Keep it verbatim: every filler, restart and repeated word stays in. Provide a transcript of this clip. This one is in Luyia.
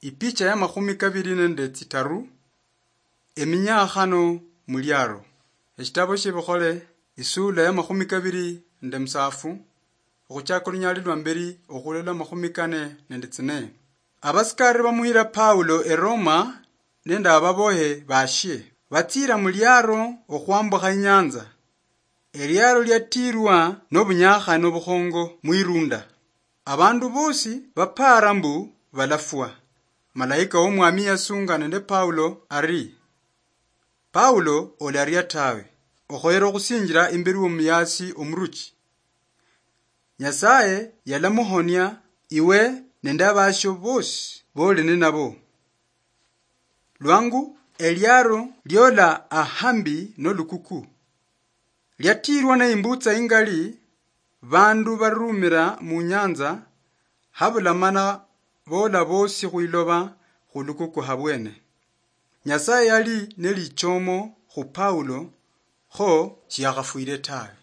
Ipicha ya makhumi kabiri nende tsitaru, eminyakhano muliaro. Eshitabo shiebikhole, isula ya makhumi kabiri nende musafu, okhuchaka olunyali lwa mberi okhulola makhumi kane nende tsine. Abasikari bamuhira Paulo e Roma nende ababohe bashie. Batsira muliaro okhwambukha inyanza. Eliaro liatirwa nobunyakhano bukhongo mwirunda. Abandu bosi bapara mbu balafwa. Malaika womwami yasunga nende Paulo ari, "Paulo, olaria tawe. Okhoyera okhusinjira imberi womuyasi omuruchi. Nyasaye yalamuhonia iwe nende abasio bosi boli ninabo. Lwangu eliaro liola ahambi nolukuku. Liatirwa neimbutsa ingali, bandu barumira munyanza, habula mana bola bosi khwiloba khulukuku habwene." Nyasaye yali nelichomo khu Paulo, kho shiyakhafwire tawe.